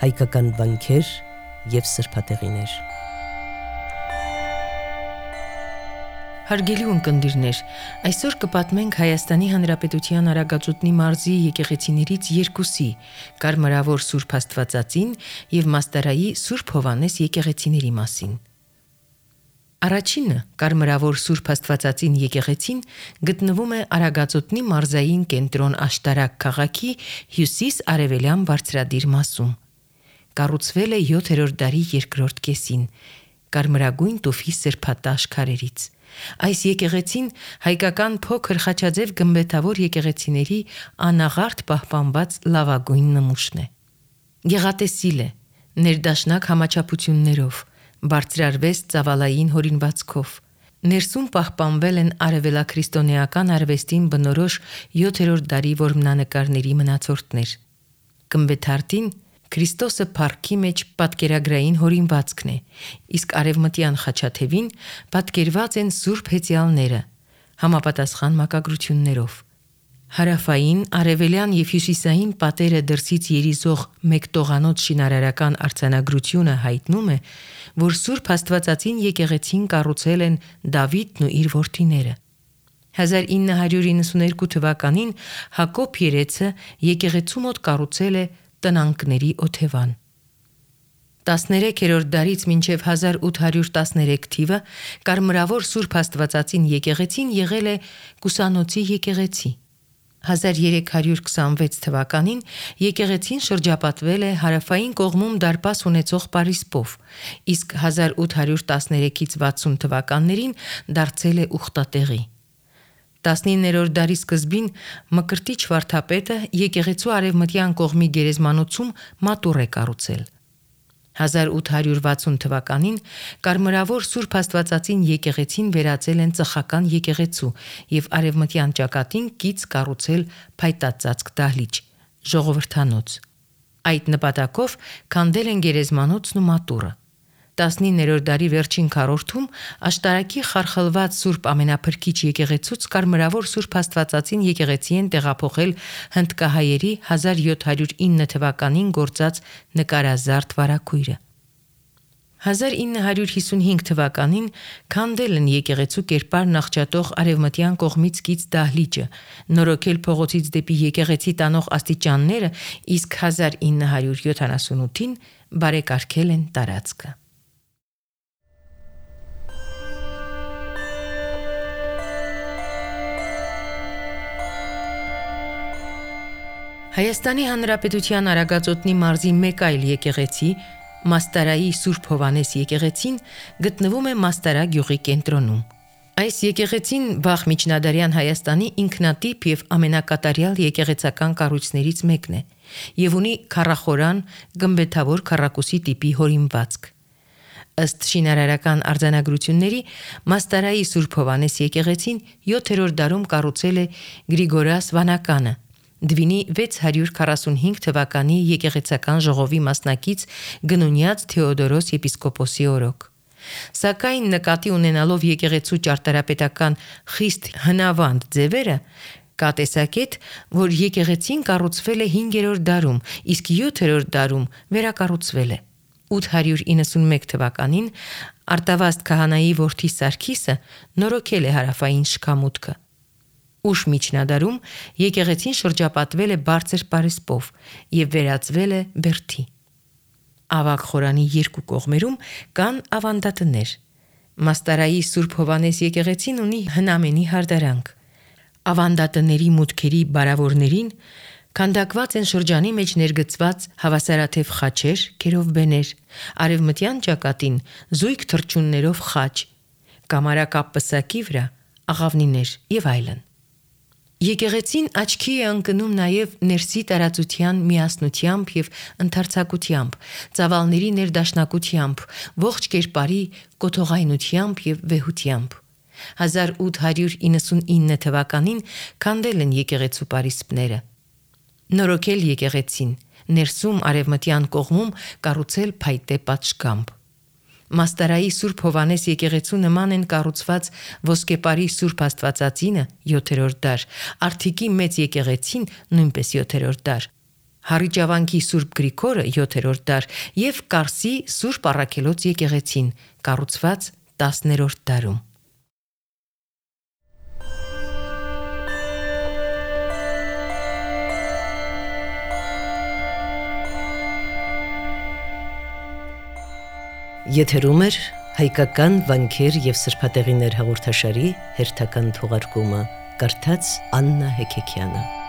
հայկական վանքեր և սրբատեղիներ։ Հարգելի ունկնդիրներ, այսօր կպատմենք Հայաստանի Հանրապետության Արագածոտնի մարզի եկեղեցիներից երկուսի՝ Կարմրավոր Սուրբ Աստվածածին և Մաստարայի Սուրբ Հովհաննես եկեղեցիների մասին։ Առաջինը՝ Կարմրավոր Սուրբ Աստվածածին եկեղեցին գտնվում է Արագածոտնի մարզային կենտրոն Աշտարակ քաղաքի հյուսիս-արևելյան բարձրադիր մասում։ Կառուցվել է 7-րդ դարի երկրորդ կեսին, կարմրագույն տուֆի սրբատաշ քարերից։ Այս եկեղեցին հայկական փոքր խաչաձև գմբեթավոր եկեղեցիների անաղարտ պահպանված լավագույն նմուշն է։ Գեղատեսիլ է, ներդաշնակ համաչափություններով, բարձրարվեստ ծավալային հորինվածքով։ Ներսում պահպանվել են արևելաքրիստոնեական արվեստին բնորոշ 7-րդ դարի որմնանկարների մնացորդներ։ Գմբեթարտին Քրիստոսը փառքի մեջ պատկերագրային հորինվածքն է, իսկ արևմտյան խաչաթևին պատկերված են սուրբ հեծյալները, համապատասխան մակագրություններով։ Հարավային, արևելյան և հյուսիսային պատերը դրսից երիզող մեկ տողանոց շինարարական արձանագրությունը հայտնում է, որ Սուրբ Աստվածածին եկեղեցին կառուցել են Դավիթն ու իր որդիները։ 1992 թվականին Հակոբ Երեցը եկեղեցու մոտ կառուցել է տնանքների օթևան։ 13-րդ դարից մինչև 1813 թիվը Կարմրավոր Սուրբ Աստվածածին եկեղեցին եղել է Կուսանոցի եկեղեցի։ 1326 թվականին եկեղեցին շրջապատվել է հարավային կողմում դարպաս ունեցող պարիսպով, իսկ 1813-ից 60 թվականներին դարձել է ուխտատեղի։ 19-րդ դարի սկզբին Մկրտիչ վարդապետը եկեղեցու արևմտյան կողմի գերեզմանոցում մատուռ է կառուցել։ 1860 թվականին Կարմրավոր Սուրբ Աստվածածին եկեղեցին վերածել են ծխական եկեղեցու և արևմտյան ճակատին կից կառուցել փայտածածկ դահլիճ՝ ժողովրդանոց։ Այդ նպատակով քանդել են գերեզմանոցն ու մատուռը։ 19-րդ դարի վերջին քառորդում Աշտարակի խարխլված Սուրբ Ամենափրկիչ եկեղեցուց Կարմրավոր Սուրբ Աստվածածին եկեղեցի են տեղափոխել հնդկահայերի 1709 թվականին գործած նկարազարդ վարագույրը։ 1955 թվականին քանդել են եկեղեցու կերպարն աղճատող արևմտյան կողմից կից դահլիճը, նորոգել փողոցից դեպի եկեղեցի տանող աստիճանները, իսկ 1978-ին բարեկարգել են տարածքը։ Հայաստանի Հանրապետության Արագածոտնի մարզի մեկ այլ եկեղեցի, Մաստարայի Սուրբ Հովհաննես եկեղեցին, գտնվում է Մաստարա գյուղի կենտրոնում։ Այս եկեղեցին վաղ միջնադարյան Հայաստանի ինքնատիպ և ամենակատարյալ եկեղեցական կառույցներից մեկն է և ունի քառախորան գմբեթավոր քառակուսի տիպի հորինվածք։ Ըստ շինարարական արձանագրությունների Մաստարայի Սուրբ Հովհաննես եկեղեցին 7-րդ դարում կառուցել է Գրիգորաս Վանականը, Դվինի 645 թվականի եկեղեցական ժողովի մասնակից Գնունյաց Թեոդորոս եպիսկոպոսի օրոք։ Սակայն նկատի ունենալով եկեղեցու ճարտարապետական խիստ հնավանդ ձևերը, կա տեսակետ, որ եկեղեցին կառուցվել է 5-րդ դարում, իսկ 7-րդ դարում վերակառուցվել է։ 891 թվականին Արտավազդ քահանայի որդի Սարգիսը նորոգել է հարավային շքամուտքը։ Ուշ միջնադարում եկեղեցին շրջապատվել է բարձր պարիսպով և վերածվել է բերդի։ Ավագ խորանի երկու կողմերում կան ավանդատներ։ Մաստարայի Սուրբ Հովհաննես եկեղեցին ունի հնամենի հարդարանք։ Ավանդատների մուտքերի բարավորներին քանդակված են շրջանի մեջ ներգծված հավասարաթև խաչեր, քերովբեներ, արևմտյան ճակատին զույգ թռչուններով խաչ, կամարակապ պսակի վրա աղավնիներ և այլն։ Եկեղեցին աչքի է ընկնում նաև ներսի տարածության միասնությամբ և ընդարձակությամբ, ծավալների ներդաշնակությամբ, ողջ կերպարի կոթողայնությամբ և վեհությամբ։ 1899 թվականին քանդել են եկեղեցու պարիսպները։ Նորոգել եկեղեցին, ներսում արևմտյան կողմում կառուցել փայտե պատշգամբ։ Մաստարայի Սուրբ Հովհաննես եկեղեցու նման են կառուցված Ոսկեպարի Սուրբ Աստվածածինը 7-րդ դար, Արթիկի Մեծ եկեղեցին նույնպես 7-րդ դար, Հարիճավանքի Սուրբ Գրիգորը 7-րդ դար եւ Կարսի Սուրբ Առաքելոց եկեղեցին, կառուցված 10-րդ դարում։ Եթերում է հայկական վանքեր եւ սրբատեղիներ հաղորդաշարի հերթական թողարկումը, կարդաց Աննա Հեքեքյանը։